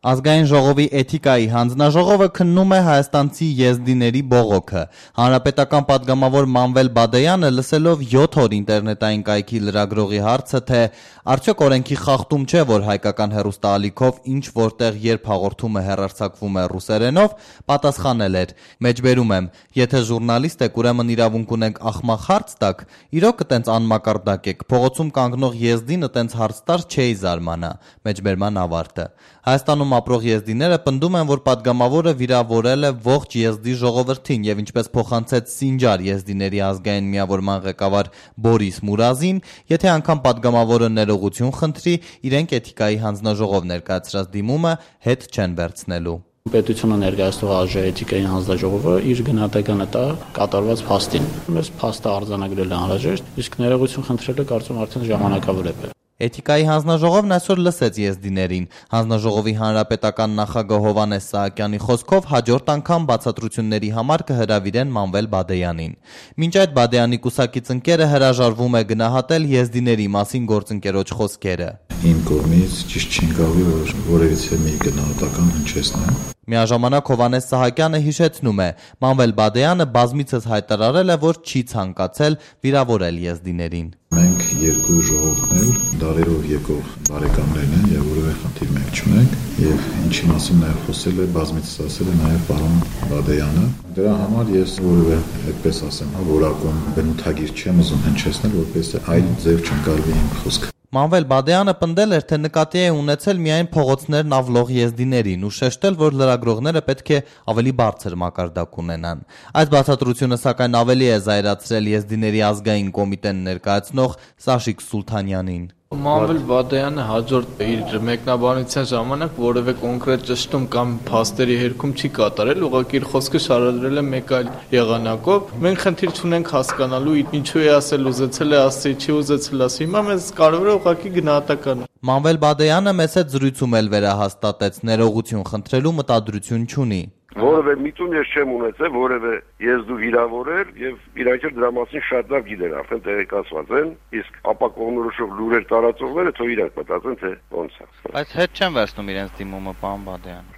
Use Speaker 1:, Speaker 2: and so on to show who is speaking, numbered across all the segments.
Speaker 1: Ազգային ժողովի էթիկայի հանձնաժողովը քննում է հայաստանցի եզդիների բողոքը։ Հանրապետական պատգամավոր Մանվել Բադեյանը լսելով 7 օր ինտերնետային կայքի լրագրողի հարցը, թե արդյոք օրենքի խախտում չէ, որ հայկական հեռուստաալիքով ինչ որտեղ երբ հաղորդումը հեռարձակվում է ռուսերենով, պատասխանել էր. «Մեջբերում եմ, եթե ժուրնալիստ եք, ուրեմն իրավունք ունենք ախմախ հարց տաք, իրոք տենց անմակարդակ եք, փողոցում կանգնող եզդինը տենց հարց տար չէի զարմանա»։ Մեջբերման ավարտը։ Հայաստանում ապրող եզդիները պնդում են, որ պատգամավորը վիրավորել է ողջ եզդի ժողովրդին եւ ինչպես փոխանցեց Սինջար եզդիների ազգային միավորման ղեկավար Բորիս Մուրազին, եթե անգամ պատգամավորը ներողություն խնդրի, իրենք էթիկայի հանձնաժողով ներկայացրած դիմումը հետ չեն վերցնելու։
Speaker 2: Պետությունը ներկայացնող էթիկայի հանձնաժողովը իր գնահատականը տա կատարված փաստին։ Մեզ փաստը արձանագրել է անհրաժեշտ, իսկ ներողություն խնդրելը կարծում արդեն ժամանակավոր է։
Speaker 1: Էթիկայի հանձնաժողովն այսօր լսեց եզդիներին։ Հանձնաժողովի հանրապետական նախագահ Հովհաննես Սահակյանի խոսքով հաջորդ անգամ բացատրությունների համար կհրավիրեն Մանվել Բադեյանին։ Մինչ այդ Բադեյանի կուսակից ընկերը հրաժարվում է գնահատել եզդիների մասին գործընկերոջ խոսքերը։
Speaker 3: Իմ կողմից ճիշտ չի գալու, որ որևիցե մի գնահատական հնչեցնեմ։
Speaker 1: Միաժամանակ Հովհաննես Սահակյանը հիշեցնում է, Մանվել Բադեյանը բազմիցս հայտարարել է, որ չի ցանկացել վիրավորել եզդիներին։
Speaker 3: Մենք երկու ժողովն էլ դարերով եկող բարեկամներն են եւ որևէ խնդիր մենք չունենք եւ ինչի մասին նաեւ խոսել է բազմիցս ասել է նաեւ պարոն Բադեյանը։ Դրա համար ես որևէ այդպես ասեմ, որակում բնութագիր չեմ ուզում հնչեցնել, որպես այլ ձև չընկալվի իմ խոսքը։
Speaker 1: Մանվել Բադեյանը պնդել էր, թե նկատի է ունեցել միայն փողոցներն ավլող եզդիներին ու շեշտել, որ լրագրողները պետք է ավելի բարձր մակարդակ ունենան։ Այս բացատրությունը սակայն ավելի է զայրացրել եզդիների ազգային կոմիտեն ներկայացնող Սաշիկ Սուլթանյանին։
Speaker 4: Մանվել Բադեյանը հաջորդ իր մեկնաբանության ժամանակ որևէ կոնկրետ ճշտում կամ փաստերի հերքում չի կատարել, ուղղակի իր խոսքը շարադրել է մեկ այլ եղանակով։ Մենք խնդիր չունենք հասկանալու ինչու է ասել, ուզեցել է ասի, չի ուզեցել ասի։ Հիմա մեզ կարևոր է ուղղակի գնահատականը։
Speaker 1: Մանվել Բադեյանը մեծ զրույցում էլ վերահաստատեց, ներողություն խնդրելու մտադրություն չունի։
Speaker 5: Որևէ միտում ես չեմ ունեցել, որևէ եզդու վիրավորել եւ իրանք էլ դրա մասին շատ լավ գիտեն, արդեն տեղեկացված են, իսկ ապակողմնորոշող լուրեր տարածողները թող իրանք մտածեն, թե ոնց է։
Speaker 1: Բայց հետ չեն վերցնում իրենց դիմումը, պարոն Բադեյան։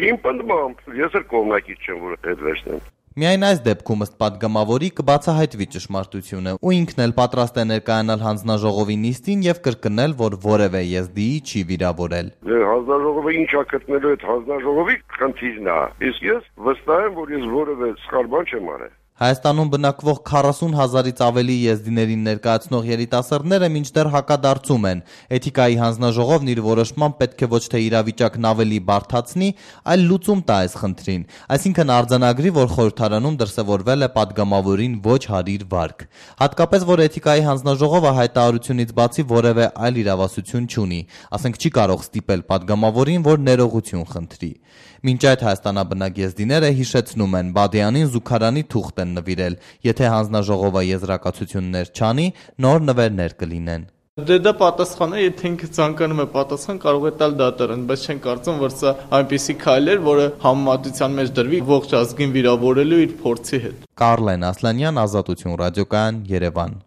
Speaker 5: Իմ պնդմամբ ես էլ կողմնակից չեմ, որ հետ վերցնեմ։
Speaker 1: Միայն այս դեպքում ըստ պատգամավորի կբացահայտվի ճշմարտությունը, ու ինքն էլ պատրաստ է ներկայանալ հանձնաժողովի նիստին եւ կրկնել, որ որևէ եզդիի չի վիրավորել։
Speaker 5: Հանձնաժողովը ինչ է գտնելու այդ հանձնաժողովի խնդիրն է։ Իսկ ես վստահ եմ, որ ես որևէ սխալ բան չեմ արել։
Speaker 1: Հայաստանում բնակվող 40,000-ից ավելի եզդիներին ներկայացնող երիտասարդները մինչդեռ հակադարձում են։ Էթիկայի հանձնաժողովն իր որոշմամբ պետք է ոչ թե իրավիճակն ավելի բարդացնի, այլ լուծում տա այս խնդրին, այսինքն արձանագրի, որ խորհրդարանում դրսևորվել է պատգամավորին ոչ հարիր վարք։ Հատկապես, որ Էթիկայի հանձնաժողովը հայտարարությունից բացի որևէ այլ իրավասություն չունի, ասենք չի կարող ստիպել պատգամավորին, որ ներողություն խնդրի։ Մինչ այդ հայաստանաբնակ եզդիները հիշեցնում են, Բադեյանին զուգարանի թուղթ են նվիրել, եթե հանձնաժողովը եզրակացություններ չանի, նոր նվերներ կլինեն։
Speaker 4: Դա պատասխան է, եթե ինքը ցանկանում է պատասխան, կարող է տալ դատարան, բայց չեն կարծում, որ սա այնպիսի քայլ էր, որը համեմատության մեջ դրվի ողջ ազգին վիրավորելու իր փորձի հետ։
Speaker 1: Կարլեն Ասլանյան, Ազատություն ռադիոկայան, Երևան։